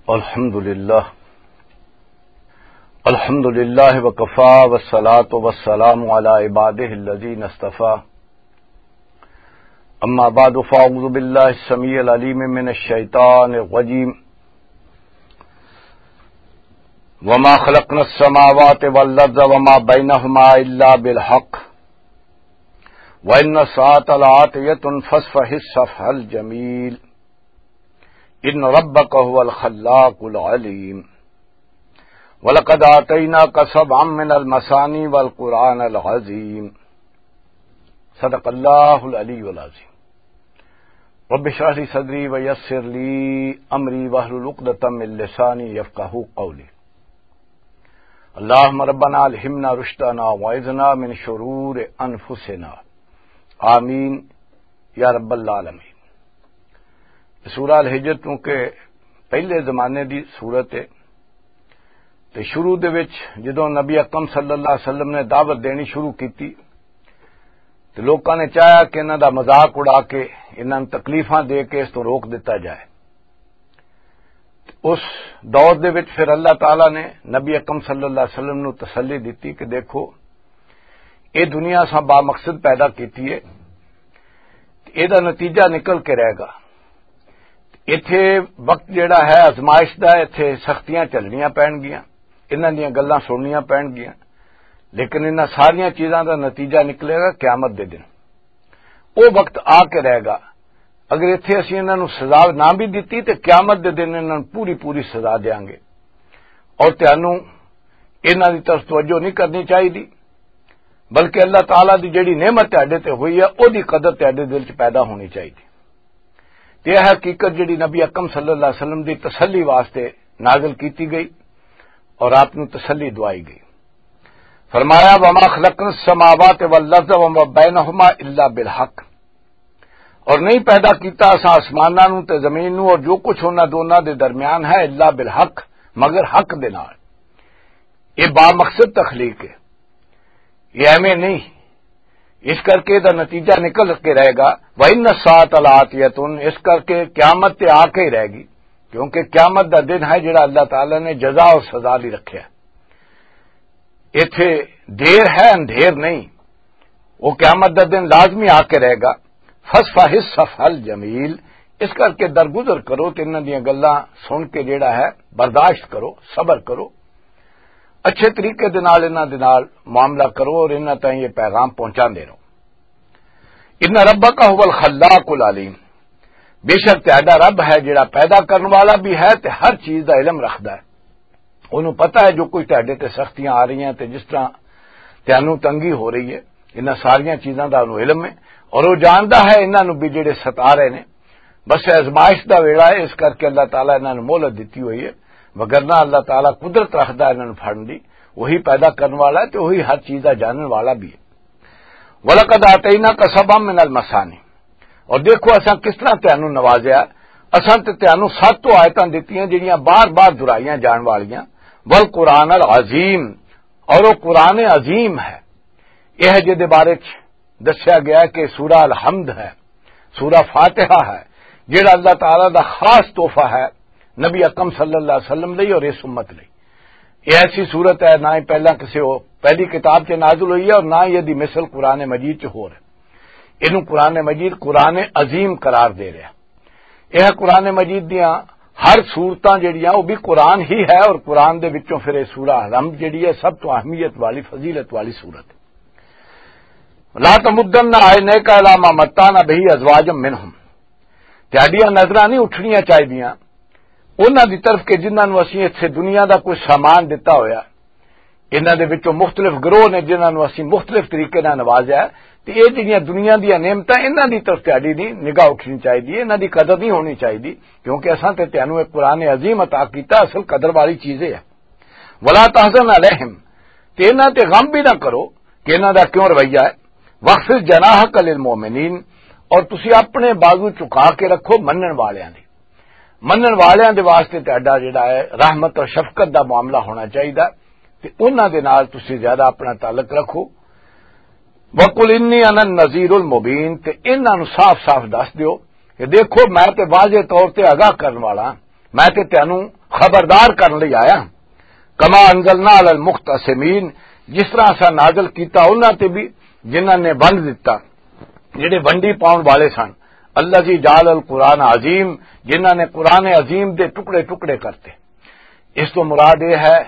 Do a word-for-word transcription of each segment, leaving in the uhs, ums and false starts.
الحمد لله. الحمد لله وكفى، والصلاة والسلام على عباده الذين اصطفى. أما بعد، فأعوذ بالله السميع العليم من الشيطان الرجيم. وما خلقنا السماوات والأرض وما بينهما إلا بالحق، وإن الساعة لآتية، فاصفح الصفح الجميل. إن ربك هو الخلاق العليم. ولقد آتيناك سبعا من المثاني والقرآن العظيم. صدق الله العلي العظيم. رب اشرح لي صدري ويسر لي أمري واحلل عقدة من لساني يفقهوا قولي. اللهم ربنا ألهمنا رشدنا وأعذنا من شرور أنفسنا. آمين يا رب العالمين. سورہ الحجر، کیونکہ پہلے زمانے دی صورت ہے، تے شروع دے وچ جدوں نبی اکرم صلی اللہ علیہ وسلم نے دعوت دینی شروع کیتی، تے لوکاں نے چاہیا کہ انہاں دا مذاق اڑا کے، انہاں نوں تکلیفاں دے کے اس تو روک دتا جائے۔ اس دور دے وچ پھر اللہ تعالیٰ نے نبی اکرم صلی اللہ علیہ وسلم نوں تسلی دتی کہ دیکھو، اے دنیا اساں با مقصد پیدا کیتی ہے، اے دا نتیجہ نکل کے رہے گا۔ ایتھے وقت جڑا ہے آزمائش دا، ایتھے سختیاں چلنیاں پین گیاں، انہاں دیاں گلاں سننیاں پین گیاں، لیکن انہاں ساریاں چیزاں دا نتیجہ نکلے گا قیامت دے دن۔ او وقت آ کے رہے گا۔ اگر ایتھے اسی انہاں نوں سزا نہ بھی دتی تے قیامت دے دن انہاں نوں پوری پوری سزا دیاں گے۔ اور تانوں انہاں دی طرف توجہ نہیں کرنی چاہیے، بلکہ اللہ تعالیٰ دی جڑی نعمت تہاڈے تے ہوئی ہے، او دی قدر تہاڈے دل چ پیدا ہونی چاہیے۔ تے یہ حقیقت جڑی نبی اکرم صلی اللہ علیہ وسلم دی تسلی واسطے نازل کیتی گئی اور آپ نوں تسلی دوائی گئی۔ فرمایا، "وما خلقنا السماوات والارض وما بينهما الا بالحق"، اور نہیں پیدا کیتا اساں آسماناں نوں تے زمین نوں اور جو کچھ انہاں دوناں دے درمیان ہے، الا بالحق، مگر حق دے نال۔ یہ با مقصد تخلیق ہے، یہ ایویں نہیں۔ اس کر کے دا نتیجہ نکل کے رہے گا، "وَإِنَّ السَّاعَةَ لَآتِيَةٌ"، اس کر کے قیامت تے آ کے ہی رہے گی، کیونکہ قیامت دا دن ہے جڑا اللہ تعالیٰ نے جزا اور سزا لئی رکھیا۔ ایتھے دیر ہے، اندھیر نہیں، وہ قیامت دا دن لازمی آ کے رہے گا۔ "فَاصْفَحِ الصَّفْحَ الْجَمِيلَ"، اس کر کے درگزر کرو تے انہاں دیاں گلاں سن کے جڑا ہے برداشت کرو، صبر کرو، اچھے طریقے دے نال انہاں دے نال معاملہ کرو اور انہاں تائیں یہ پیغام پہنچاندے رہو۔ "ان ربک هو الخلاق العلیم"، بے شک تہاڈا رب ہے جڑا پیدا کرن والا بھی ہے تے ہر چیز دا علم رکھدا ہے۔ انہوں پتہ ہے جو کچھ تہاڈے تے سختیاں آ رہی ہیں تے جس طرح تانوں تنگی ہو رہی ہے، انہاں ساریاں چیزاں دا انہوں علم ہے اور وہ جاندا ہے انہاں نوں بھی جڑے ستا رہے نے۔ بس یہ آزمائش دا ویڑا ہے، اس کر کے اللہ تعالیٰ انہاں نوں مہلت دتی ہوئی ہے، وگرنہ اللہ تعالیٰ قدرت رکھدا ہے انہاں نوں پھڑن دی۔ وہی پیدا کرن والا ہے تے وہی ہر چیز دا جانن والا بھی ہے۔ "وَلَقَدْ آتَيْنَاكَ سَبْعًا مِنَ الْمَثَانِي"، اور دیکھو اساں کس طرح تانوں نوازیا، اساں تے تانوں ست تو آیتاں دتیاں جڑیاں بار بار دہرائیاں جان والیاں، "وَالْقُرْآنَ الْعَظِيمَ"، اور وہ قرآن عظیم ہے۔ یہ جے دے بارے چ دسیا گیا کہ سورہ الحمد ہے، سورہ فاتحہ ہے، جڑا اللہ تعالیٰ دا خاص تحفہ ہے نبی اکرم صلی اللہ علیہ وسلم لئی اور اس امت لئی۔ یہ ایسی صورت ہے، نہ ہی پہلا کسی ہو-، پہلی کتاب چ نازل ہوئی ہے اور نہ ہی یہ دی مثل قرآن مجید چ ہو رہے۔ اینوں قرآن مجید قرآن عظیم قرار دے رہا۔ یہ قرآن مجید دیاں ہر صورتاں جڑیاں، وہ بھی قرآن ہی ہے، اور قرآن دے وچوں پھر یہ سورہ الحمد جڑی ہے، سب تو اہمیت والی، فضیلت والی صورت ہے۔ "لا تمدن عينيك إلى ما متعنا به أزواجا منهم"، تہاڈیاں نظراں نہیں اٹھنیاں چاہیدیاں انہاں دی طرف کہ جنہاں نوں اسی اتھے دنیا دا کوئی سامان دتا ہویا۔ انہاں دے وچوں مختلف گروہ نے جنہاں نوں اسی مختلف طریقے نال نوازیا ہے، تے اے جڑیاں دنیا دیاں نعمتاں، انہاں دی طرف تہاڈی نہیں نگاہ اٹھنی چاہیدی، انہاں دی قدر نہیں ہونی چاہیدی، کیونکہ اساں تے تہانوں ایک قرآن عظیم عطا کیتا، اصل قدر والی چیز ہے۔ "ولا تحزن عليهم"، تے انہاں تے غم بھی نہ کرو کہ انہاں دا کیوں رویہ ہے۔ "واخفض جناحك للمؤمنين"، اور تسی اپنے بازو چکا کے رکھو منن والیاں دی۔ منن والیاں دے واسطے تہاڈا جڑا ہے رحمت اور شفقت دا معاملہ ہونا چاہیدا، تے انہاں دے نال تسی زیادہ اپنا تعلق رکھو۔ "وقل إني أنا النذير المبين"، تے انہاں نوں صاف صاف دس دیو کہ دیکھو، میں تے واضح طور تے آگاہ کرن والا، میں تے تینوں خبردار کرن لئی آیا۔ کما انزلنا علی المقتسمین، جس طرح اساں نازل کیتا انہاں تے بھی، جنہاں نے ونڈ دتا، جڑے ونڈی پاؤن والے سن۔ الذی جعل القرآن عظیم، جنہاں نے قرآن عظیم دے ٹکڑے ٹکڑے کرتے۔ اس تو مراد یہ ہے،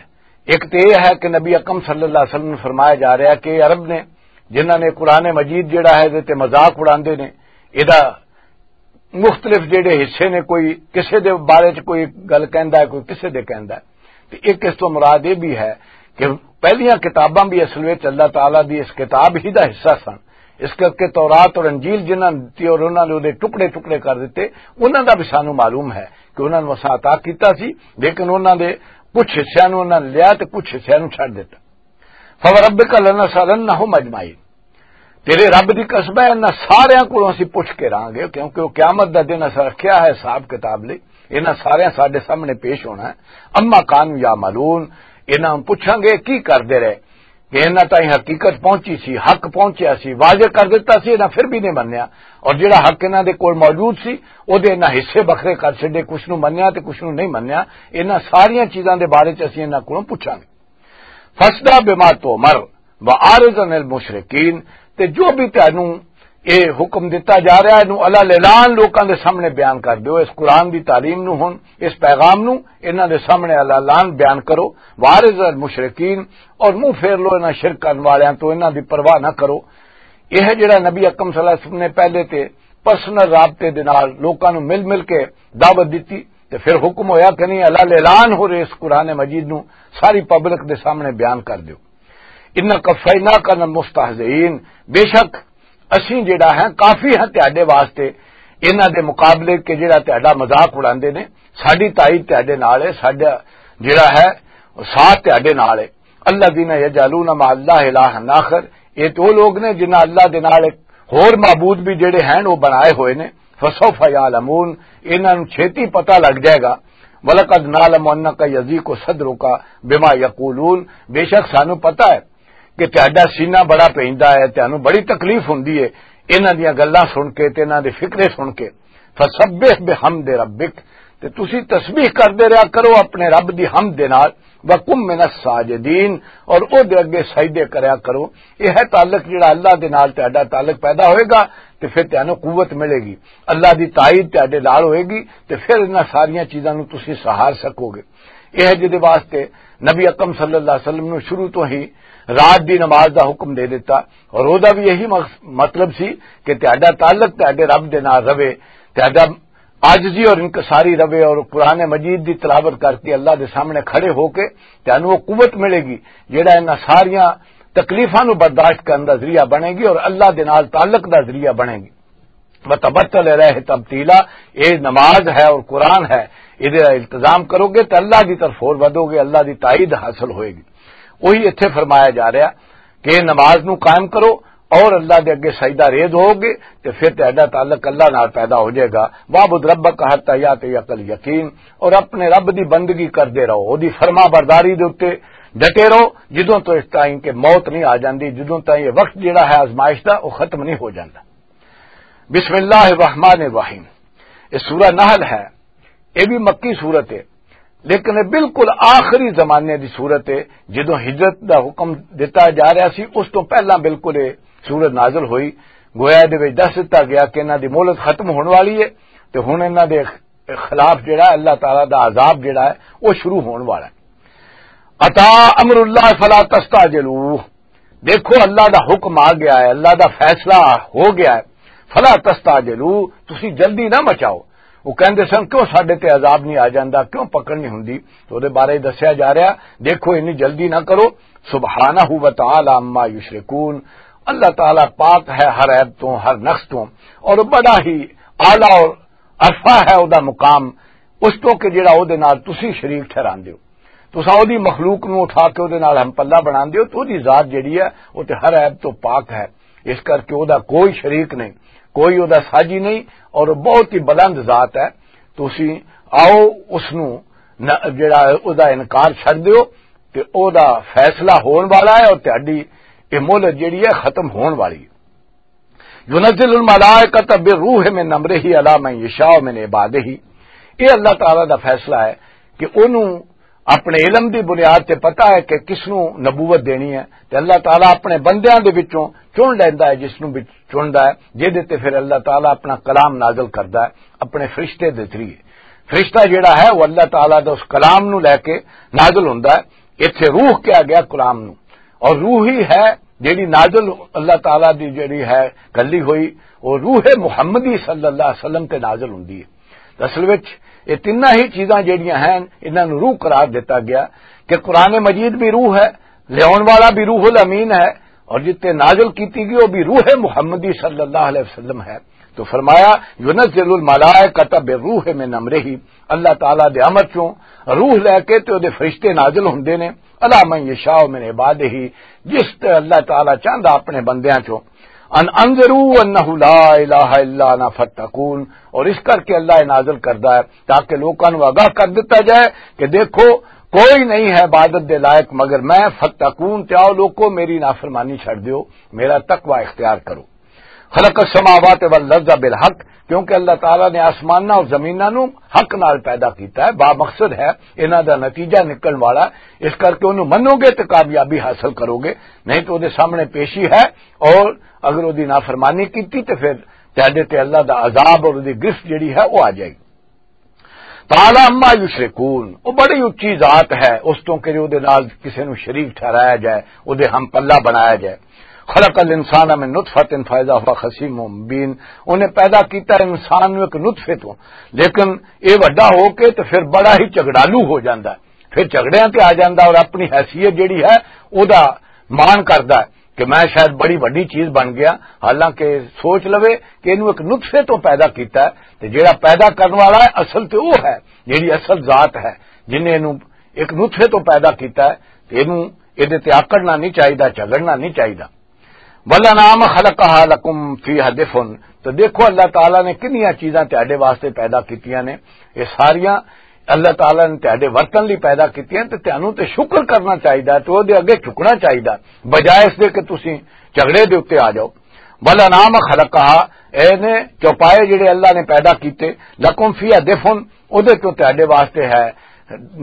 ایک تو یہ ہے کہ نبی اکرم صلی اللہ علیہ وسلم نے فرمایا جا رہا کہ عرب نے، جنہاں نے قرآن مجید جڑا ہے، تے مذاق اڑاندے نے، ادا مختلف جڑے حصے نے، کوئی کسے دے بارے چ کوئی گل کہندا ہے، کوئی کسے دے کہندا ہے۔ تے ایک اس تو مراد یہ بھی ہے کہ پہلیاں کتاباں بھی اصل وچ اللہ تعالیٰ دی اس کتاب ہی دا حصہ سن۔ اس کر کے تورات اور انجیل جنہاں نے دتی اور انہاں نے اودے ٹکڑے ٹکڑے کر دتے، انہاں دا بھی سانوں معلوم ہے کہ انہاں نوں اساں عطا کیتا سی، لیکن انہاں دے کچھ حصیاں نوں انہاں نے لیا تے کچھ حصیاں نوں چھڈ دتا۔ فوربک لنسألنہم اجمعین۔ تیرے رب دی قسم ہے، انہاں ساریاں کولوں اسی پوچھ کے رہاں گے، کیونکہ وہ قیامت دا دن اساں رکھیا ہے حساب کتاب لئی۔ انہاں ساریاں ساڈے سامنے پیش ہونا ہے۔ اما کانوا یعملون، انہاں نوں پوچھاں گے کی کردے رہے، کہ انہاں تائیں حقیقت پہنچی سی، حق پہنچیا سی، واضح کر دتا سی، انہاں پھر بھی نہیں منیا۔ اور جڑا حق انہاں دے کول موجود سی، او دے انہاں حصے بکھرے کر چھڈے، کچھ نوں منیا تے کچھ نوں نہیں منیا۔ انہاں ساریاں چیزاں دے بارے چ اسی انہاں کولوں پوچھاں گے۔ فاصدع بما تؤمر وأعرض عن المشرکین، تے جو بھی تینوں یہ حکم دتا جا رہا ہے، نو اللہ اعلان لوکاں دے سامنے بیان کر دیو، اس قرآن دی تعلیم نو ہن، اس پیغام نو انہاں دے سامنے اللہ اعلان بیان کرو۔ وأعرض عن المشرکین، اور منہ پھیر لو انہاں شرک کرن والیاں تو، انہاں دی پرواہ نہ کرو۔ یہ ہے جڑا نبی اکرم صلی اللہ علیہ وسلم نے پہلے تے پرسنل رابطے دے نال لوکاں نو مل مل کے دعوت دتی، تے پھر حکم ہویا کہ نہیں، اللہ اعلان ہو رہے اس قرآن مجید نو ساری پبلک دے سامنے بیان کر دیو۔ ان کفینا کا المستہزئین، بے شک اسیں جڑا ہے کافی ہے تہاڈے واسطے، انہاں دے مقابلے کہ جڑا تہاڈا مذاق اڑاندے نے۔ ساڈی تائید تہاڈے نال ہے، ساڈا جڑا ہے ساتھ تہاڈے نال ہے۔ الذین یجعلون مع اللہ الہا آخر، یہ تو لوگ نے جنہاں اللہ دے نال ایک ہور معبود بھی جڑے ہیں وہ بنائے ہوئے نے۔ فسوف یعلمون، انہاں نوں چھیتی پتہ لگ جائے گا۔ ولقد نعلم انک یضیق صدرک بما یقولون، بے شک سانوں پتہ ہے کہ تہاڈا سینہ بڑا پیندا ہے، تانوں بڑی تکلیف ہوندی ہے انہاں دیاں گلاں سن کے تے انہاں دے فکرے سن کے۔ فسبح بحمد ربک، تے تسی تسبیح کردے رہیا کرو اپنے رب دی حمد دے نال۔ وکم من الساجدین، اور او دے اگے سجدے کریا کرو۔ یہ ہے تعلق جڑا اللہ دے نال تہاڈا تعلق پیدا ہوئے گا، تے پھر تانوں قوت ملے گی، اللہ دی تائید تہاڈے نال ہوئے گی، تے پھر انہاں ساریاں چیزاں نوں تسی سہار سکو گے۔ یہ ہے جدے واسطے نبی اکرم صلی اللہ علیہ وسلم نوں شروع تو ہی رات دی نماز دا حکم دے دیتا، اور او دا بھی یہی مقص-، مطلب سی کہ تہاڈا تعلق تہاڈے رب دے نال رہے، تہاڈا عاجزی اور انکساری رہے اور قرآن مجید دی تلاوت کر کے اللہ دے سامنے کھڑے ہو کے تانوں وہ قوت ملے گی جڑا انہاں ساریاں تکلیفاں نوں برداشت کرن دا ذریعہ بنے گی اور اللہ دے نال تعلق دا ذریعہ بنے گی۔ وتبتل الیہ تبتیلا، اے نماز ہے اور قرآن ہے، اے دا التزام کرو گے تے اللہ دی طرف ہور ودو گے، اللہ دی تائید حاصل ہوئے گی۔ وہی ایتھے فرمایا جا رہا کہ نماز نو قائم کرو اور اللہ دے اگے سجدہ ریز ہوو گے تے پھر تہاڈا تعلق اللہ نال پیدا ہو جائے گا۔ وَاعْبُدْ رَبَّكَ حَتَّىٰ يَأْتِيَكَ الْيَقِينُ، اور اپنے رب دی بندگی کردے رہو، اودی فرما برداری دے اُتے ڈٹے رہو، جدوں تو اس تائیں کہ موت نہیں آ جاندی، جدوں تائیں یہ وقت جڑا ہے آزمائش دا، وہ ختم نہیں ہو جاندا۔ بسم اللہ الرحمن الرحیم۔ یہ سورہ نحل ہے، یہ بھی مکی سورت ہے، لیکن یہ بالکل آخری زمانے دی سورت ہے۔ جدوں ہجرت دا حکم دتا جا رہا سی، اس تو پہلا بالکل یہ سورت نازل ہوئی۔ گویا دے وچ دس دتا گیا کہ انہاں دی مہلت ختم ہون والی ہے تے ہن انہاں دے خلاف جڑا اللہ تعالیٰ دا عذاب جڑا ہے، وہ شروع ہون والا ہے۔ اتا امر اللہ فلا تستعجلوہ، دیکھو اللہ دا حکم آ گیا ہے، اللہ دا فیصلہ ہو گیا ہے۔ فلا تستعجلوہ، تسی جلدی نہ مچاؤ۔ وہ کہندے سن، کیوں ساڈے تے عذاب نہیں آ جاندا، کیوں پکڑ نہیں ہوندی؟ تو دے بارے دسیا جا رہا، دیکھو انی جلدی نہ کرو۔ سبحانہ و تعالی عما یشرکون، اللہ تعالیٰ پاک ہے ہر عیب تو، ہر نقص تو، اور بڑا ہی اعلیٰ اور ارفع ہے او دا مقام، اس تو کہ جڑا او دے نال تسی شریک ٹھہراندے ہو۔ تساں او دی مخلوق نو اٹھا کے او دے نال ہم پلہ بناندے ہو، تو او دی ذات جڑی ہے، او تے ہر عیب تو پاک ہے۔ اس کر کے او دا کوئی شریک نہیں، کوئی او دا ساجی نہیں، اور بہت ہی بلند ذات ہے۔ تسی آؤ اس نو نہ، جڑا او دا انکار چھڈ دیو، تے او دا فیصلہ ہون والا ہے اور تہاڈی یہ مہلت جڑی ہے ختم ہون والی ہے۔ ينزل الملائكة بالروح من أمره على من يشاء من عباده۔ یہ اللہ تعالیٰ دا فیصلہ ہے کہ انہوں اپنے علم دی بنیاد تے پتہ ہے کہ کس نوں نبوت دینی ہے، تے اللہ تعالیٰ اپنے بندیاں دے وچوں چن لیندا ہے، جس نوں وچ چندا ہے، جہدے تے پھر اللہ تعالیٰ اپنا کلام نازل کردا ہے اپنے فرشتے دے ذریعے۔ فرشتہ جڑا ہے، وہ اللہ تعالیٰ دا اس کلام نوں لے کے نازل ہوندا ہے۔ ایتھے روح کہا گیا کلام نوں، اور روح ہی ہے جڑی نازل، اللہ تعالیٰ دی جڑی ہے گلی ہوئی، وہ روح محمدی صلی اللہ علیہ وسلم تے نازل ہوندی ہے۔ اصل وچ یہ تیناں ہی چیزاں جڑیاں ہیں، انہاں نوں روح قرار دتا گیا کہ قرآن مجید بھی روح ہے، لیاون والا بھی روح الامین ہے، اور جتے نازل کیتی گئی وہ بھی روح محمدی صلی اللہ علیہ وسلم ہے۔ تو فرمایا، "ینزل الملائکۃ بالروح من امرہ"، اللہ تعالیٰ دے امر چوں روح لے کے تے او دے فرشتے نازل ہوندے نے، "علی من یشاء من عبادہ"، جس تے اللہ تعالیٰ چاہندا اپنے بندیاں چوں، "ان انذروا انہ لا الہ الا انا فاتقون"، اور اس کر کے اللہ یہ نازل کردا ہے تاکہ لوکاں نوں آگاہ کر دتا جائے کہ دیکھو، کوئی نہیں ہے عبادت دے لائق مگر میں، "فاتقون"، تے آؤ لوکو، میری نافرمانی چھڈ دیو، میرا تقوی اختیار کرو۔ خلق السماوات والارض بالحق، کیونکہ اللہ تعالیٰ نے آسماناں اور زمیناں نوں حق نال پیدا کیتا ہے، با مقصد ہے، انہاں دا نتیجہ نکلن والا، اس کر کے انہوں منو گے تو کامیابی حاصل کرو گے، نہیں تو دے سامنے پیشی ہے، اور اگر وہ دی نافرمانی کیتی تو پھر تہاڈے تے اللہ دا عذاب اور دی گرفت جڑی ہے وہ آ جائے گی۔ تعالیٰ عما یشرکون، وہ بڑی اچی ذات ہے اس تو کہ جو دے نال کسے نو شریک ٹھہرایا جائے، وہ دے ہم پلہ بنایا جائے۔ خلق الانسان من نطفۃ فاذا هو خصیم مبین، انہیں پیدا کیتا انسان نو ایک نطفے تو، لیکن یہ وڈا ہو کے تو پھر بڑا ہی جھگڑالو ہو جاندا ہے، پھر جھگڑیاں تے آ جاندا اور اپنی حیثیت جڑی ہے او دا مان کردا ہے کہ میں شاید بڑی وڈی چیز بن گیا، حالانکہ سوچ لوے کہ اینوں ایک نطفے تو پیدا کیتا ہے، تے جیڑا پیدا کرن والا ہے اصل تے او ہے، جیڑی اصل ذات ہے، جن نے اینوں ایک نطفے تو پیدا کیتا ہے، تے اینوں، ایدے تے آکڑنا نہیں چاہیدا، جھگڑنا نہیں چاہیدا۔ "والانعام خلقها لکم فیہا دفء"، تو دیکھو اللہ تعالیٰ نے کنیاں چیزاں تہاڈے واسطے پیدا کیتیاں نے، یہ ساریاں اللہ تعالیٰ نے تہاڈے ورتن لئی پیدا کیتیاں، تے تہانوں تے شکر کرنا چاہیدا، تے او دے اگے جھکنا چاہیدا، بجائے اس دے کہ تسی جھگڑے دے اُتے آ جاؤ۔ "والانعام خلقها"، اے نے چوپائے جڑے اللہ نے پیدا کیتے، "لکم فیہا دفء"، او دے تو تہاڈے واسطے ہے،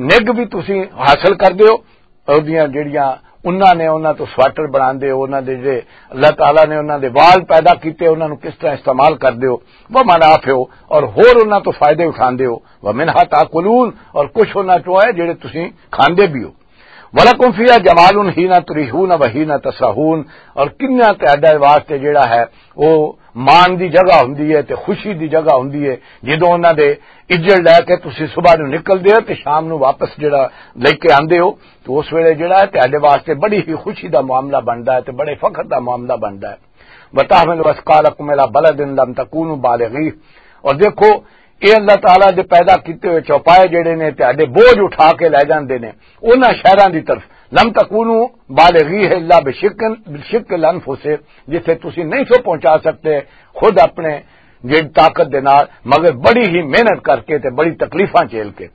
نگ بھی تسی حاصل کر دیو، اودیاں جڑیاں انہاں نے، انہاں تو سویٹر بناندے ہو، انہاں دے جڑے اللہ تعالیٰ نے انہاں دے وال پیدا کیتے، انہاں نوں کس طرح استعمال کردے ہو، وہ منافع ہو، اور ہور انہاں تو فائدے اٹھاندے ہو، وہ منہا تاکلون، اور کچھ انہاں چوں ہے جڑے تسی کھاندے بھی ہو۔ "ولکم فیہا جمال حین تریحون و حین تسرحون"، اور کنہ تہاڈے واسطے جڑا ہے وہ مان دی جگہ ہوندی ہے تے خوشی دی جگہ ہوندی ہے، جدوں انہاں دے اجڑ لے کے تسی صبح نوں نکلدے ہو تے شام نوں واپس جڑا لے کے آندے ہو، تو اس ویلے جڑا ہے تہاڈے واسطے بڑی ہی خوشی دا معاملہ بندا ہے تے بڑے فخر دا معاملہ بندا ہے۔ "وتحمل اثقالکم الی بلد لم تکونوا بالغیہ"، اور دیکھو، اے اللہ تعالیٰ دے پیدا کیتے ہوئے چوپائے جڑے نے تہاڈے بوجھ اٹھا کے لے جاندے نے انہاں شہراں دی طرف، "لم تکونوا بالغیہ الا بشق، بشق الانفس"، جتھے تسی نہیں سو پہنچا سکتے خود اپنے جڑی طاقت دے نال، مگر بڑی ہی محنت کر کے تے بڑی تکلیفاں جھیل کے۔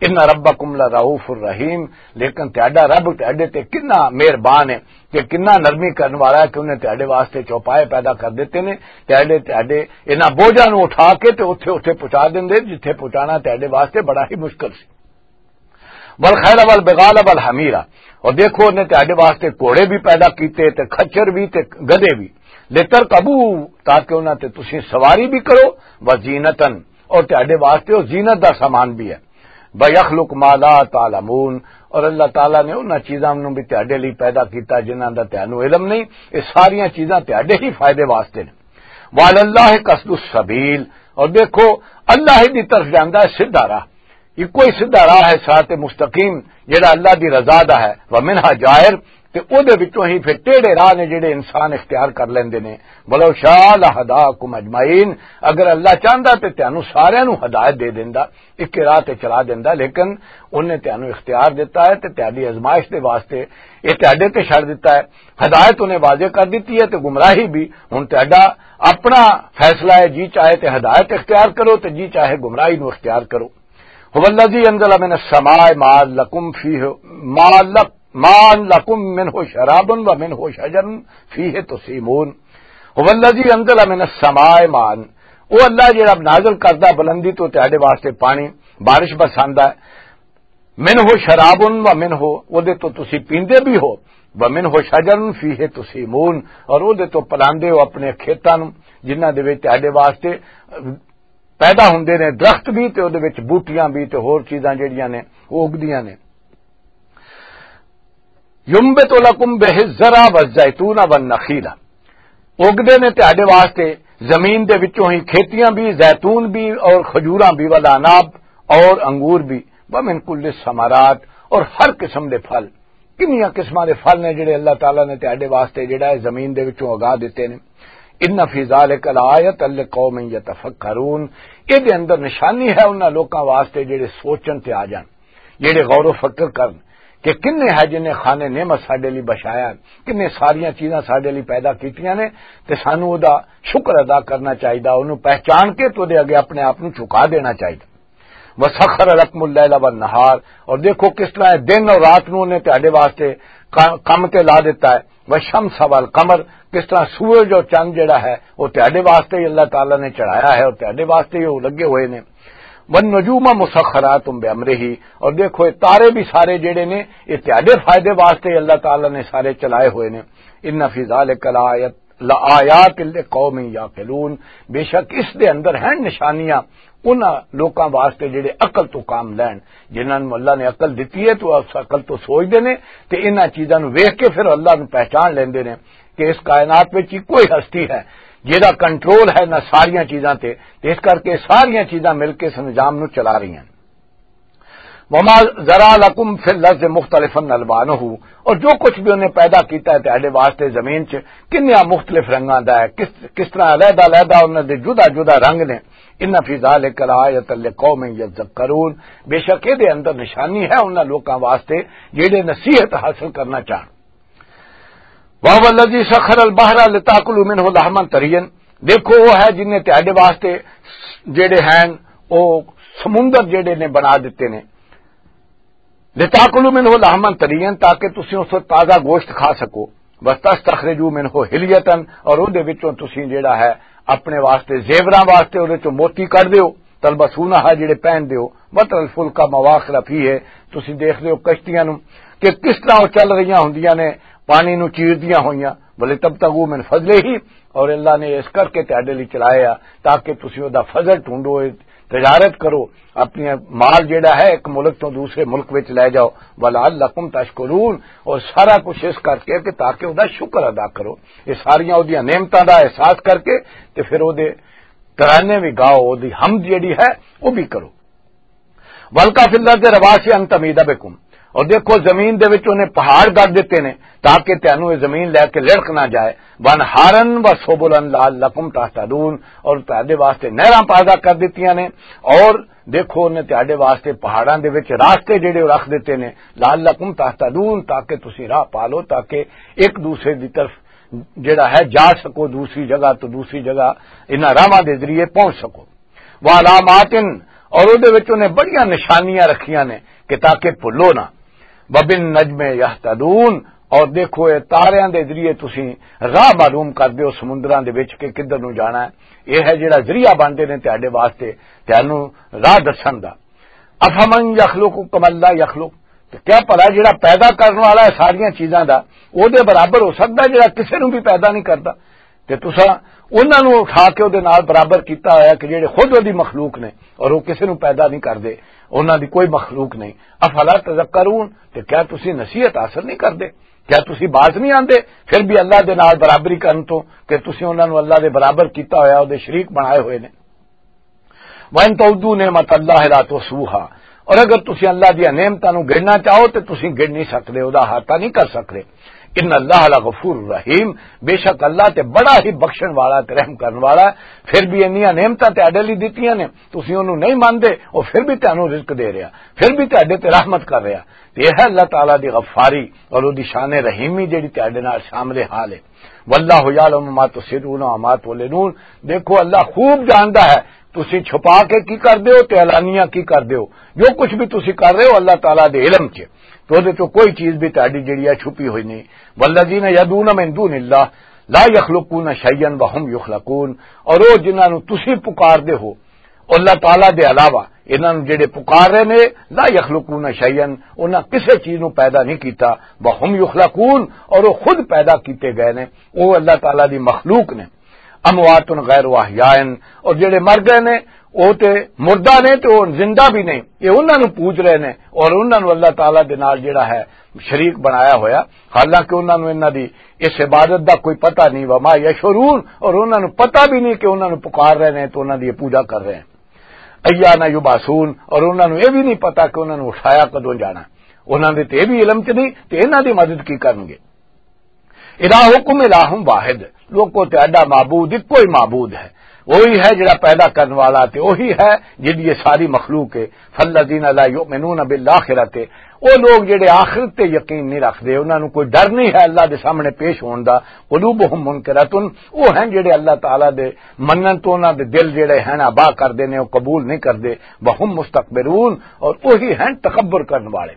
"ان ربکم لرؤوف الرحیم"، لیکن تہاڈا رب تہاڈے تے کنا مہربان ہے، کہ کنا نرمی کرن والا ہے، کہ انہیں تہاڈے واسطے چوپائے پیدا کر دیتے نے، تہاڈے، تہاڈے انہاں بوجھاں نوں اٹھا کے تے اوتھے، اوتھے پہنچا دیندے جتھے پہنچانا تہاڈے واسطے بڑا ہی مشکل سی۔ "والخیل والبغال والحمیر"، اور دیکھو انہیں تہاڈے واسطے گھوڑے بھی پیدا کیتے تے خچر بھی تے گدھے بھی، "لترکبوا"، تاکہ انہاں تے تسی سواری بھی کرو، "وزینتن"، اور تہاڈے واسطے او زینت دا سامان بھی ہے۔ "ویخلق ما لا تعلمون"، اور اللہ تعالیٰ نے انہاں چیزاں نوں بھی تہاڈے لئی پیدا کیتا جنہاں دا تہانوں علم نہیں۔ یہ ساریاں چیزاں تہاڈے ہی فائدے واسطے نے۔ "وعلی اللہ قصد السبیل"، اور دیکھو، اللہ ہی دی طرف جاندا ہے سیدھا راہ، یہ کوئی سیدھا راہ ہے، صراط مستقیم، جڑا اللہ دی رضا دا ہے۔ "ومنہا جائر"، تے او دے وچوں ہی پھر ٹیڑھے راہ نے جڑے انسان اختیار کر لیندے نے۔ "ولو شاء لہداکم اجمعین"، اگر اللہ چاہندا تے تانوں ساریاں نوں ہدایت دے دیندا، اکے راہ تے چلا دیندا، لیکن انہیں تانوں اختیار دتا ہے تے تہاڈی آزمائش دے واسطے یہ تہاڈے تے چھڑ دتا ہے۔ ہدایت انہیں واضح کر دتی ہے تے گمراہی بھی۔ ہن تہاڈا اپنا فیصلہ ہے، جی چاہے تے ہدایت اختیار کرو تے جی چاہے گمراہی نوں اختیار کرو۔ "هو الذی انزل من السماء ماء لکم فیہ، ماء لک-، ماء لکم منہ شراب و منہ شجر فیہ تسیمون۔" "هو الذی انزل من السماء ماء"، وہ اللہ جڑا نازل کردا بلندی تو تہاڈے واسطے پانی، بارش برساندا ہے۔ منہ شراب و منہ، او دے تو تسی پیندے بھی ہو، و منہ شجر فیہ تسیمون، اور او دے تو پلاندے ہو اپنے کھیتاں نوں، جنہاں دے وچ تہاڈے واسطے پیدا ہوندے نے درخت بھی، تے او دے وچ بوٹیاں بھی، تے ہور چیزاں جڑیاں نے، او اگدیاں نے۔ ینبت لکم بہ الزرع والزیتون والنخیل، اگدے نے تہاڈے واسطے زمین دے وچوں ہی کھیتیاں بھی، زیتون بھی اور کھجوراں بھی، والعناب اور انگور بھی، ومن کل الثمرات، اور ہر قسم دے پھل۔ کنیاں قسماں دے پھل نے جڑے اللہ تعالیٰ نے تہاڈے واسطے جڑا ہے زمین دے وچوں اگا دتے نے۔ ان فی ذلک لآیۃ لقوم یتفکرون، اے دے اندر نشانی ہے انہاں لوکاں واسطے جڑے سوچن تے آ جان، جڑے غور و فکر کرن کہ کنے ہے جن نے خانے نعمت ساڈے لئی بچایا، کنے ساریاں چیزاں ساڈے لئی پیدا کیتیاں نے، تے سانوں او دا شکر ادا کرنا چاہیدا، اونوں پہچان کے تے اودے اگے اپنے آپ نوں جھکا دینا چاہیدا۔ وسخر لکم اللیل والنہار، اور دیکھو کس طرح دن اور رات نوں نے تہاڈے واسطے کا-، کم تے لا دیتا ہے۔ والشمس والقمر، کس طرح سورج اور چند جڑا ہے، وہ تہاڈے واسطے ہی اللہ تعالیٰ نے چڑھایا ہے اور تہاڈے واسطے ہی وہ لگے ہوئے نے۔ والنجوم مسخرات بامرہ، اور دیکھو یہ تارے بھی سارے جڑے نے، یہ تہاڈے فائدے واسطے ہی اللہ تعالیٰ نے سارے چلائے ہوئے نے۔ ان فی ذلک لآیت، لآیات لقوم یعقلون، بے شک اس دے اندر ہیں نشانیاں انہاں لوکاں واسطے جڑے عقل تو کام لین، جنہاں نوں اللہ نے عقل دتی ہے تو اس عقل تو سوچدے نے تے انہاں چیزاں نوں ویکھ کے پھر اللہ نوں پہچان لیندے نے کہ اس کائنات وچ ہی کوئی ہستی ہے جہدا کنٹرول ہے نہ ساریاں چیزاں تے، تے اس کر کے ساریاں چیزاں مل کے اس نظام نوں چلا رہی ہیں۔ وما ذرا لکم فی الارض مختلفا الوانہ، اور جو کچھ بھی انہیں پیدا کیتا ہے تہاڈے واسطے زمین چ، کنیا مختلف رنگاں دا ہے، کس کس طرح علیحدہ علیحدہ انہاں دے جدا جدا رنگ نے۔ ان فی ذلک لآیۃ لقوم یذکرون، بے شک اے دے اندر نشانی ہے انہاں لوکاں واسطے جڑے نصیحت حاصل کرنا چاہن۔ وَهُوَ الَّذِي سَخَّرَ الْبَحْرَ لِتَأْكُلُوا مِنْهُ لَحْمًا طَرِيًّا، دیکھو وہ ہے جن نے تہاڈے واسطے جڑے ہیں وہ سمندر جڑے نے بنا دیتے نے، لِتَأْكُلُوا مِنْهُ لَحْمًا طَرِيًّا، تاکہ تسی اس وچ تازہ گوشت کھا سکو، وَتَسْتَخْرِجُوا مِنْهُ حِلْيَةً، اور اون دے وچوں تسی جڑا ہے اپنے واسطے زیوراں واسطے اون وچوں موتی کڈ دیو، تلبسونہا، جڑے پہن دیو، وترى الفلك مواخر فيه، تسی دیکھ دیو کشتیاں نوں کہ کس طرح وہ چل رہیاں ہوندیاں نے، پانی نوں چیردیاں ہوئیاں، ولتبتغوا من فضله، اور اللہ نے اس کر کے تہاڈے لئی چلایا تاکہ تسی او دا فضل ڈھونڈو، تجارت کرو، اپنی مال جڑا ہے ایک ملک تو دوسرے ملک وچ لے جاؤ، ولعلکم تشکرون، اور سارا کچھ اس کر کے کہ تاکہ او دا شکر ادا کرو۔ یہ ساریاں او دیاں نعمتاں دا احساس کر کے تے پھر او دے ترانے بھی گاؤ، او دی حمد جڑی ہے او بھی کرو۔ وَأَلْقَىٰ فِي الْأَرْضِ رَوَاسِيَ أَن تَمِيدَ بِكُمْ، اور دیکھو زمین دے وچ انہیں پہاڑ گڑ دتے نے تاکہ تینوں یہ زمین لے کے لڑک نہ جائے۔ وَأَنْهَارًا وَسُبُلًا لَعَلَّكُمْ تَهْتَدُونَ، اور تہاڈے واسطے نہراں پیدا کر دتیاں نے، اور دیکھو انہیں تہاڈے واسطے پہاڑاں دے وچ راستے جڑے رکھ دتے نے، لَعَلَّكُمْ تَهْتَدُونَ، تاکہ تسی راہ پا لو، تاکہ ایک دوسرے دی طرف جڑا ہے جا سکو دوسری جگہ تو دوسری جگہ، انہاں راہواں دے ذریعے پہنچ سکو۔ وعلامات، اور اودے وچ انہیں بڑیاں نشانیاں رکھیاں نے کہ تاکہ بھلو نہ۔ وبالنجم یہتدون، اور دیکھو اے تاریاں دے ذریعے تسی راہ معلوم کر دیو سمندراں دے وچ کہ کدھر نوں جانا ہے۔ یہ ہے جڑا ذریعہ بنتے نے تہاڈے واسطے، تہانوں راہ دسن دا۔ افمن یخلق کمن لا یخلق، تے کیا بھلا جڑا پیدا کرن والا ہے ساریاں چیزاں دا، او دے برابر ہو سکدا ہے جڑا کسے نوں بھی پیدا نہیں کردا؟ تے تساں انہاں نوں اٹھا کے او دے نال برابر کیتا ہویا کہ جڑے خود او دی مخلوق نے اور او کسے نوں پیدا نہیں کردے، انہاں دی کوئی مخلوق نہیں۔ افلا تذکرون، تے کیا تسی نصیحت حاصل نہیں کردے؟ کیا تسی باز نہیں آندے؟ پھر بھی اللہ دے نال برابری کرن تو کہ تسی انہاں نوں اللہ دے برابر کیتا ہویا، او دے شریک بنائے ہوئے نے۔ وَإِن تَعُدُّوا نِعْمَتَ اللَّهِ لَا تُحْصُوهَا، اور اگر تسی اللہ دیاں نعمتاں نوں گننا چاہو تے تسی گن نہیں سکدے، او دا احاطہ نہیں کر سکدے۔ ان اللہ لغفور رحیم، بے شک اللہ تے بڑا ہی بخشن والا تے رحم کرن والا ہے۔ پھر بھی انیاں نعمتاں تہاڈے لئی دتیاں نے، تسی اونوں نہیں مندے، او پھر بھی تانوں رزق دے رہیا، پھر بھی تہاڈے تے رحمت کر رہیا۔ تے یہ ہے اللہ تعالیٰ دی غفاری اور او دی شان رحیمی جڑی تہاڈے نال شامل حال ہے۔ واللہ یعلم ما تسرون و ما تعلنون۔ دیکھو، اللہ خوب جاندا ہے تسی چھپا کے کی کر دیو تے اعلانیہ کی کر دیو۔ جو کچھ بھی تسی کر رہے ہو، اللہ تعالیٰ دے علم چ، تو دے تو کوئی چیز بھی تہاڈی جڑی ہے چھپی ہوئی نہیں۔ والذین یدعون من دون اللہ، لا یخلقون شیئا وهم یخلقون، اور وہ جنہاں نو تسی پکار دے ہو اللہ تعالیٰ دے علاوہ، انہاں نو جڑے پکار رہے نے، لا یخلقون شیئا، انہاں کسے چیز نو پیدا نہیں کیتا، وهم یخلقون، اور وہ خود پیدا کیتے گئے نے، وہ اللہ تعالیٰ دی مخلوق نے۔ اموات غیر احیاء، اور جڑے مر گئے نے، وہ تے مردہ نے تے وہ زندہ بھی نہیں، یہ انہاں نو پوج رہے نے اور انہاں نو اللہ تعالیٰ دے نال جڑا ہے شریک بنایا ہویا، حالانکہ انہاں نو انہاں دی اس عبادت دا کوئی پتہ نہیں، وما یشعرون، اور انہاں نو پتہ بھی نہیں کہ انہاں نو پکار رہے نے تو انہاں دی یہ پوجا کر رہے ہیں۔ ایان یبعثون، اور انہاں نو یہ بھی نہیں پتہ کہ انہاں نو اٹھایا کدوں جانا، انہاں دے تے یہ بھی علم چ نہیں تے انہاں دی مدد کی کرنگے؟ الہکم الہ واحد، لوکو، تہاڈا معبود اکو ہی معبود ہے، وہی ہے جڑا پیدا کرن والا تے وہی ہے جدی یہ ساری مخلوق ہے۔ فالذین لا یؤمنون بالآخرۃ، وہ لوگ جڑے آخرت تے یقین نہیں رکھدے، انہاں نوں کوئی ڈر نہیں ہے اللہ دے سامنے پیش ہون دا۔ قلوبہم منکرۃ، وہ ہیں جڑے اللہ تعالیٰ دے منن تو انہاں دے دل جڑے ہیں آبا کردے نے، وہ قبول نہیں کردے۔ وہم مستکبرون، اور وہی ہیں تکبر کرن والے۔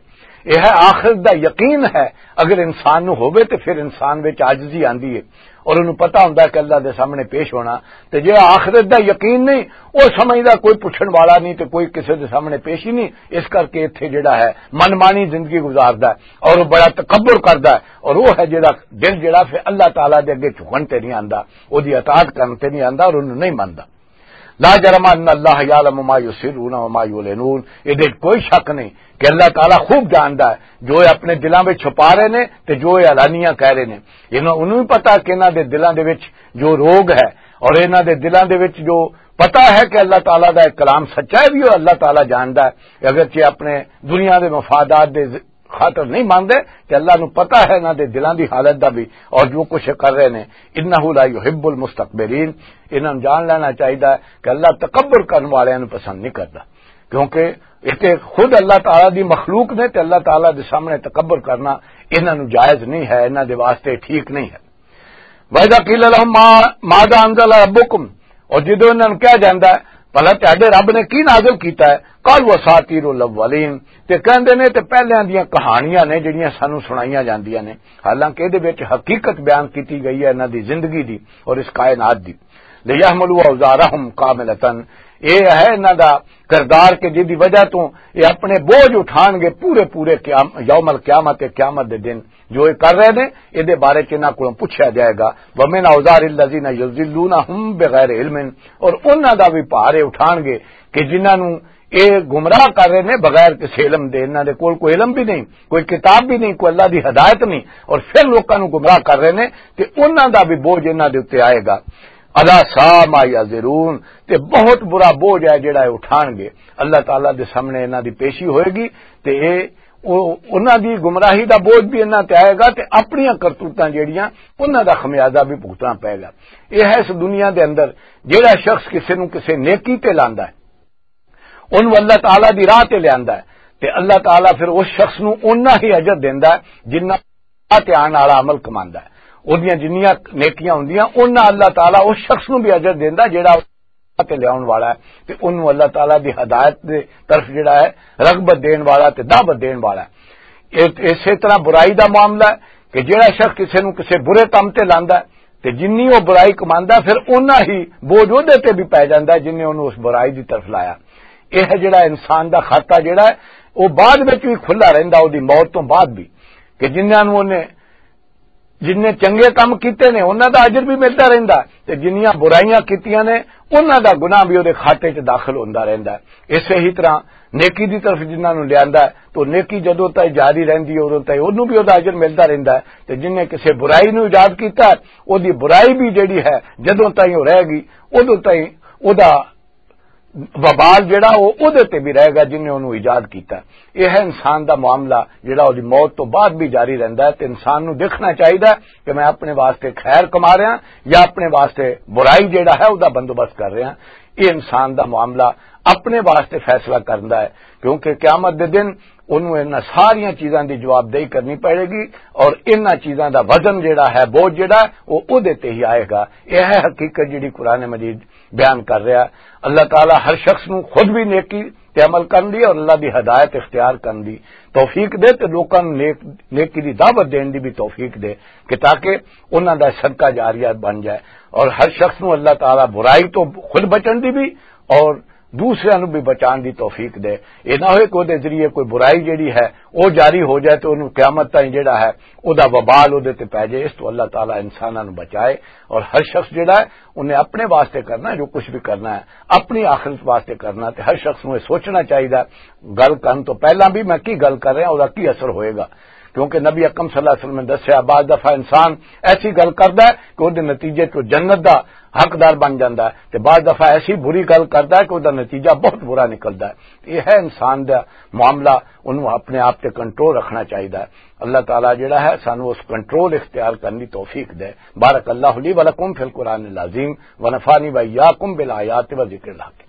یہ ہے آخرت دا یقین ہے۔ اگر انسان نو ہووے تے پھر انسان وچ عاجزی آندی ہے اور انہوں پتہ ہوندا ہے کہ اللہ دے سامنے پیش ہونا۔ تے جے آخرت دا یقین نہیں، وہ سمجھدا کوئی پچھن والا نہیں تے کوئی کسے دے سامنے پیش ہی نہیں، اس کر کے اتھے جڑا ہے من مانی زندگی گزاردا ہے اور وہ بڑا تکبر کردا ہے، اور وہ ہے جڑا دل جڑا پھر اللہ تعالیٰ دے اگے جھکن تے نہیں آندا، وہ دی اطاعت کرن تے نہیں آندا اور انہوں نہیں مندا۔ لا جرم ان اللہ یعلم ما یسرون و ما یعلنون، یہ دے کوئی شک نہیں کہ اللہ تعالیٰ خوب جاندا ہے جو یہ اپنے دلاں وچ چھپا رہے نے تے جو یہ اعلانیہ کہہ رہے نے۔ انہاں انہوں بھی پتا کہ انہاں دے دلاں دے وچ جو روگ ہے اور انہاں دے دلاں دے وچ جو پتا ہے کہ اللہ تعالیٰ دا ایک کلام سچا ہے، بھی وہ اللہ تعالیٰ جاندا ہے، اگرچہ اپنے دنیا دے مفادات دے خاطر نہیں ماندے، تے اللہ نو پتہ ہے انہاں دے دلاں دی حالت دا بھی اور جو کچھ کر رہے نے۔ انہ لا یحب المستکبرین، انہاں نوں جان لینا چاہیدا ہے کہ اللہ تکبر کرن والیاں نوں پسند نہیں کردا، کیونکہ یہ تے خود اللہ تعالیٰ دی مخلوق نے تے اللہ تعالیٰ دے سامنے تکبر کرنا انہاں نوں جائز نہیں ہے، انہاں دے واسطے ٹھیک نہیں ہے۔ وَإِذَا قِيلَ لَهُمْ مَا، مَاذَا أَنزَلَ رَبُّكُمْ، اور جدوں انہاں نوں کہا جاندا ہے، "بھلا تہاڈے رب نے کی نازل کیتا ہے؟" "قَالُوا أَسَاطِيرُ الْأَوَّلِينَ"، تے کہندے نے، "تے پہلیاں دیاں کہانیاں نے جڑیاں سانوں سنائیاں جاندیاں نے۔" حالانکہ ادے وچ حقیقت بیان کیتی گئی ہے انہاں دی زندگی دی اور اس کائنات دی۔ "لِيَحْمِلُوا أَوْزَارَهُمْ كَامِلَةً"، اے ہے انہاں دا کردار کہ جس دی وجہ تو یہ اپنے بوجھ اٹھان گے پورے پورے قیام-، یوم القیامت، قیامت دے دن۔ جو یہ کر رہے نے، یہ دے بارے چ انہاں کولوں پوچھا جائے گا۔ وَمِنْ أَوْزَارِ الَّذِينَ يُضِلُّونَهُمْ بِغَيْرِ عِلْمٍ، اور انہاں دا بھی بھار یہ اٹھان گے کہ جنہاں نوں یہ گمراہ کر رہے نے بغیر کسی علم دے، انہاں دے کول کوئی علم بھی نہیں، کوئی کتاب بھی نہیں، کوئی اللہ دی ہدایت نہیں، اور پھر لوکاں نوں گمراہ کر رہے نے، تے انہاں دا بھی بوجھ انہاں دے اُتے آئے گا۔ الا سا ما یزرون، تے بہت برا بوجھ ہے جڑا یہ اٹھان گے۔ اللہ تعالیٰ دے سامنے انہاں دی پیشی ہوئے گی، تے اے او-، انہاں دی گمراہی دا بوجھ بھی انہاں تے آئے گا، تے اپنیاں کرتوتاں جڑیاں، انہاں دا خمیازہ بھی بھگتنا پائے گا۔ یہ ہے اس دنیا دے اندر جڑا شخص کسے نوں کسے نیکی تے لاندا ہے، انہوں اللہ تعالیٰ دی راہ تے لیاندا ہے، تے اللہ تعالیٰ پھر اس شخص نوں اونا ہی اجر دیندا ہے جنہ راہ تے آن والا عمل کماندا ہے۔ اوہدیاں جنیاں نیکیاں ہوندیاں، اونا اللہ تعالیٰ اس شخص نوں بھی اجر دیندا ہے جڑا راہ تے لیاون والا ہے، تے انہوں اللہ تعالیٰ دی ہدایت دے طرف جڑا ہے رغبت دین والا تے دعوت دین والا ہے۔ اے-، اسے طرح برائی دا معاملہ ہے کہ جڑا شخص کسے نوں کسے برے کم تے لاندا ہے، تے جنی وہ برائی کماندا ہے، پھر اونا ہی بوجھ اودے تے بھی پے جاندا ہے جنہیں انہوں اس برائی دی طرف لایا۔ یہ ہے جڑا انسان دا خاتہ جڑا ہے، وہ بعد وچ بھی کھلا رہندا، وہ دی موت تو بعد بھی، کہ جنہاں نوں انہیں، جنہیں چنگے کم کیتے نے، انہاں دا اجر بھی ملدا رہندا ہے، تے جنہاں برائیاں کیتیاں نے، انہاں دا گناہ بھی وہ دے خاتے چ داخل ہوندا رہندا ہے۔ اسے ہی طرح نیکی دی طرف جنہاں نوں لیاندا ہے، تو نیکی جدوں تائیں جاری رہندی ہے، اودوں تائیں اونوں بھی اودہ اجر ملدا رہندا ہے۔ تے جن نے کسے برائی نوں ایجاد کیتا ہے، اودی برائی بھی جڑی ہے، جدوں تائیں او رہے گی، اودوں تائیں اودہ وبال جڑا، او اودے تے بھی رہے گا جن نے اونوں ایجاد کیتا ہے۔ یہ ہے انسان دا معاملہ، جڑا اودی موت تو بعد بھی جاری رہندا ہے۔ تے انسان نوں دیکھنا چاہیدا ہے کہ میں اپنے واسطے خیر کما رہا یا اپنے واسطے برائی جڑا ہے، اودہ بندوبست کر رہا۔ یہ انسان دا معاملہ اپنے واسطے فیصلہ کرندا ہے، کیونکہ قیامت دے دن انہوں انہاں ساریاں چیزاں دی جوابدہی کرنی پڑے گی، اور انہاں چیزاں دا وزن جڑا ہے، بوجھ جڑا ہے، وہ اودے تے ہی آئے گا۔ یہ ہے حقیقت جڑی قرآن مجید بیان کر رہا ہے۔ اللہ تعالیٰ ہر شخص نو خود بھی نیکی تے عمل کرن دی اور اللہ دی ہدایت اختیار کرن دی توفیق دے، تے لوکاں نوں نیک، نیکی دی دعوت دین دی بھی توفیق دے، کہ تاکہ انہاں دا صدقہ جاریہ بن جائے۔ اور ہر شخص نوں اللہ تعالیٰ برائی تو خود بچن دی بھی اور دوسرے نوں بھی بچان دی توفیق دے۔ یہ نہ ہوئے کہ وہ دے ذریعے کوئی برائی جڑی ہے، وہ جاری ہو جائے، تو انہوں قیامت تائیں جڑا ہے، وہ دا وبال وہ دے تے پی جائے۔ اس تو اللہ تعالیٰ انساناں نوں بچائے۔ اور ہر شخص جڑا ہے، انہیں اپنے واسطے کرنا ہے، جو کچھ بھی کرنا ہے، اپنی آخرت واسطے کرنا ہے۔ تے ہر شخص نوں یہ سوچنا چاہیے، گل کرن تو پہلاں بھی میں کی گل کر رہا، وہ دا کی اثر ہوئے گا۔ کیونکہ نبی اکرم صلی اللہ علیہ وسلم نے دسیا، بعض دفعہ انسان ایسی گل کردا ہے کہ وہ دے نتیجے تو جنت دا حقدار بن جاندا ہے، تے بعض دفعہ ایسی بری گل کردا ہے کہ وہ دا نتیجہ بہت برا نکلدا ہے۔ یہ ہے انسان دا معاملہ، انہوں اپنے آپ تے کنٹرول رکھنا چاہیے۔ اللہ تعالیٰ جڑا ہے، سانو اس کنٹرول اختیار کرنے دی توفیق دے۔ بارک اللہ لی و لکم فی القرآن العظیم، و نفعنی و ایاکم بالآیات و ذکر الحکیم۔